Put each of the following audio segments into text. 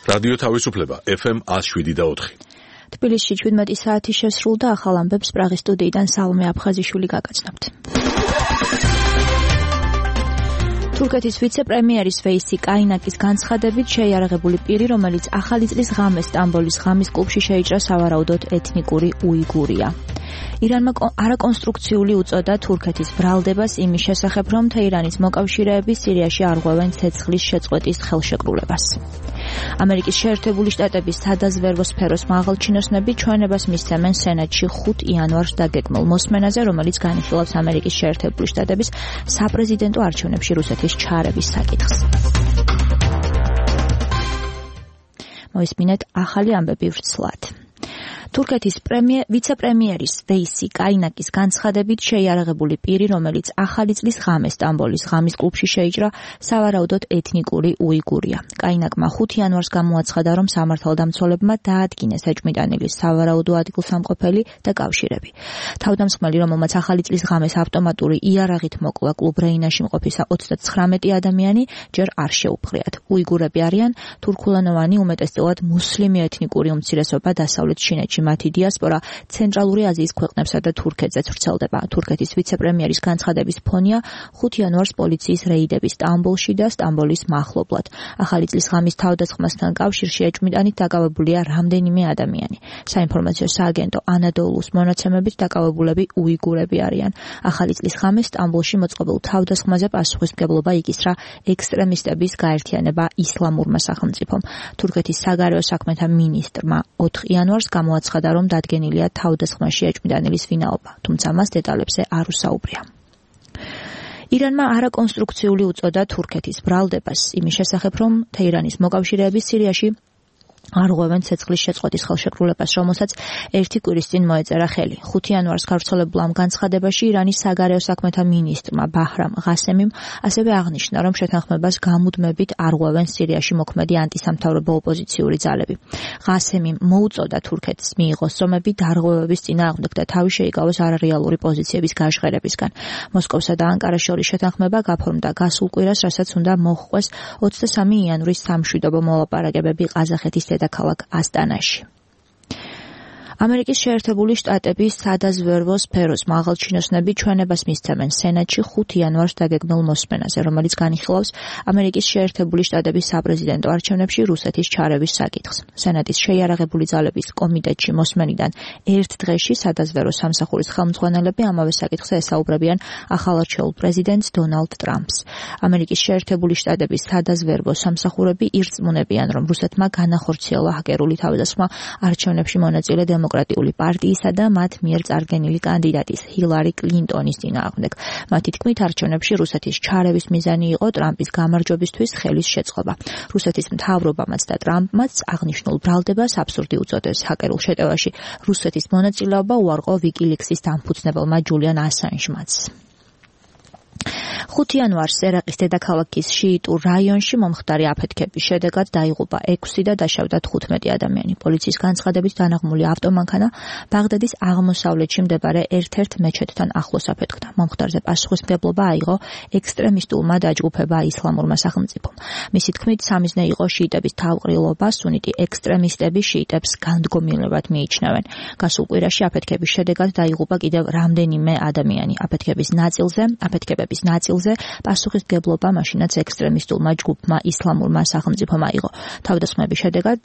რადიო თავისუფლება FM 107.4. თბილისში 17 საათი შესრულდა, ახალ ამბებს პრაღის სტუდიიდან სალომე აფხაზიშვილი გაგაცნობთ. თურქეთის ვიცე-პრემიერის ვეისი კაინაკის განცხადებით შეიარაღებული პირი, რომელიც ახალი წლის ღამეს სტამბოლის ღამის კლუბში შეიჭრა, სავარაუდოდ ეთნიკური უიგურია. ირანმა არაკონსტრუქციული უწოდა თურქეთის ბრალდებას იმის შესახებ, რომ თეირანის მოკავშირეები სირიაში არღვევენ ცეცხლის შეწყვეტის ხელშეკრულებას. ამერიკის შეერთებული შტატების სადაზვერვო სფეროს მაღალჩინოსნები ჩვენებას მისცემენ სენატში 5 იანვარს დაგეგმილ მოსმენაზე, რომელიც განიხილავს ამერიკის შეერთებული შტატების საპრეზიდენტო არჩევნებში რუსეთის ჩარევის საკითხს. მოისმინეთ ახალი ამბები ვრცლად. თურქეთის ვიცე-პრემიერის ვეისი კაინაკის განცხადებით შეიარაღებული პირი, რომელიც ახალი წლის ღამეს სტამბოლის ღამის კლუბში შეიჭრა, სავარაუდოდ ეთნიკური უიგურია. კაინაკმა 5 იანვარს გამოაცხადა, რომ სამართალდამცველებმა დაადგინეს ეჭვმიტანილის სავარაუდო ადგილსამყოფელი და კავშირები. თავდამსხმელი, რომელმაც ახალი წლის ღამეს ავტომატური იარაღით მოკლა კლუბ რეინაში მყოფისა 39 ადამიანი, ჯერ არ შეუპყრიათ. უიგურები არიან თურქულენოვანი, უმეტესწილად მუსლიმი ეთნიკური უმცირესობა დასავლეთ ჩინეთში. მათი დიასპორა ცენტრალური აზიის ქვეყნებსა და თურქეთზეც ვრცელდება. თურქეთის ვიცე-პრემიერის განცხადების ფონია 5 იანვარს პოლიციის რეიდები სტამბოლში და სტამბოლის მახლობლად. ახალი წლის ღამის თავდასხმასთან კავშირში ეჭვმიტანით დაკავებულია რამდენიმე ადამიანი. საინფორმაციო სააგენტო ანადოლუს მონაცემებით დაკავებულები უიგურები არიან. ახალი წლის ღამეს სტამბოლში მოწყობილ თავდასხმაზე პასუხისმგებლობა იკისრა ექსტრემისტების გაერთიანება ისლამურმა სახელმწიფომ. თურქეთის საგარეო საქმეთა მინისტრმა 4 იანვარს გამოაცხადა, რომ დადგენილია თავდასხმაში ეჭვმიტანილის ვინაობა, თუმცა მას დეტალებზე არ უსაუბრია. ირანმა არაკონსტრუქციული უწოდა თურქეთის ბრალდებას იმის შესახებ, რომ თეირანის მოკავშირეები სირიაში არღვევენ ცეცხლის შეწყვეტის ხელშეკრულებას, რომელსაც 1 კვირის წინ მოეწერა ხელი. 5 იანვარს გავრცელებულ ამ განცხადებაში ირანის საგარეო საქმეთა მინისტრმა ბაჰრამ ღასემიმ ასევე აღნიშნა, რომ შეთანხმებას გამუდმებით არღვევენ სირიაში მოქმედი ანტისამთავრობო ოპოზიციური ძალები. ღასემიმ მოუწოდა თურქეთს მიიღოს ზომები დარღვევების წინააღმდეგ და თავი შეიკავოს არარეალური პოზიციების გაჟღერებისგან. მოსკოვსა და ანკარას შორის შეთანხმება გაფორმდა გასულ კვირას, რასაც უნდა მოჰყვეს 23 იანვრის სამშვიდობო მოლაპარაკებები ყაზახეთის დედაქალაქ ასტანაში. ამერიკის შეერთებული შტატების სადაზვერვო სფეროს მაღალჩინოსნები ჩვენებას მისცემენ სენატში 5 იანვარს დაგეგმილ მოსმენაზე, რომელიც განიხილავს ამერიკის შეერთებული შტატების საპრეზიდენტო არჩევნებში რუსეთის ჩარევის საკითხს. სენატის შეიარაღებული ძალების კომიტეტში მოსმენიდან ერთ დღეში სადაზვერვო სამსახურის ხელმძღვანელები ამავე საკითხზე ესაუბრებიან ახალარჩეულ პრეზიდენტს დონალდ ტრამპს. ამერიკის შეერთებული შტატების სადაზვერვო სამსახურები ირწმუნებიან, რომ რუსეთმა განახორციელა ჰაკერული თავდასხმა არჩევნებში მონაწილე დემოკრატიული პარტიისა და მათ მიერ წარგენილი კანდიდატის ჰილარი კლინტონის წინააღმდეგ. მათი თქმით, არჩევნებში რუსეთის ჩარევის მიზანი იყო ტრამპის გამარჯვებისთვის ხელის შეწყობა. რუსეთის მთავრობამაც და ტრამპმაც აღნიშნულ ბრალდებას აბსურდი უწოდეს. ჰაკერულ შეტევაში რუსეთის მონაწილეობა უარყო ვიკილიქსის დამფუძნებელმა ჯულიან ასანჟმაც. 5 იანვარს ერაყის დედაქალაქის შიიტურ რაიონში მომხდარი აფეთქების შედეგად დაიღუპა 6 და დაშავდა 15 ადამიანი. პოლიციის განცხადებით დანაღმული ავტომანქანა ბაღდადის აღმოსავლეთში მდებარე ერთ-ერთ მეჩეთთან ახლოს აფეთქდა. მომხდარზე პასუხისმგებლობა აიღო ექსტრემისტულმა დაჯგუფება ისლამურმა სახელმწიფომ. მისი თქმით, სამიზნე იყო შიიტების თავყრილობა, სუნიტი ექსტრემისტები შიიტებს განდგომილებლად მიიჩნევენ. გასულ კვირაში აფეთქების შედეგად დაიღუპა კიდევ რამდენიმე ადამიანი. აფეთქების ნაწილზე პასუხისმგებლობა მაშინაც ექსტრემისტულმა ჯგუფმა ისლამურმა სახელმწიფომ აიღო. თავდასხმების შედეგად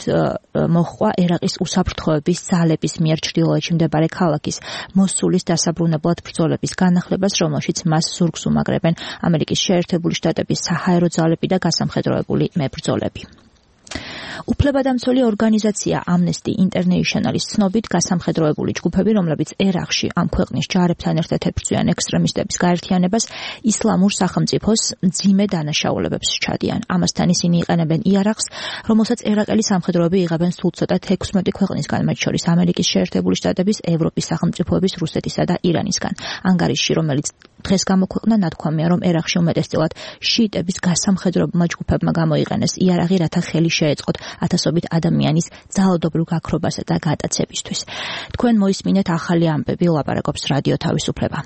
მოჰყვა ერაყის უსაფრთხოების ძალების მიერ ჩრდილოეთში მდებარე ქალაქის მოსულის დასაბრუნებლად ბრძოლების განახლებას, რომელშიც მას ზურგს უმაგრებენ ამერიკის შეერთებული შტატების საჰაერო ძალები და გასამხედროებული მებრძოლები. უფლებადამცველი ორგანიზაცია Amnesty International-ის ცნობით გასამხედროებული ჯგუფები, რომლებიც ერაყში ამ ქვეყნის ჯარებთან ერთად ებრძვიან ექსტრემისტების გაერთიანებას, ისლამურ სახელმწიფოს მძიმე დანაშაულებებს სჩადიან. ამასთან ისინი იყენებენ იარაღს, რომელსაც ერაყელი სამხედროები იღებენ სულ ცოტა 16 ქვეყნისგან, მათ შორის ამერიკის შეერთებული შტატების, ევროპის სახელმწიფოების, რუსეთისა და ირანისგან. ანგარიშში, რომელიც დღეს გამოქვეყნა, ნათქვამია, რომ ერაყში უმეტესწილად შიიტების გასამხედროებმა ჯგუფებმა გამოიყენეს იარაღი, რათა ხელი შეეწყოთ ათასობით ადამიანის ძალადობრივ გაქრობასა და გატაცებისთვის. თქვენ მოისმინეთ ახალი ამბები, ლაპარაკობს რადიო თავისუფლება.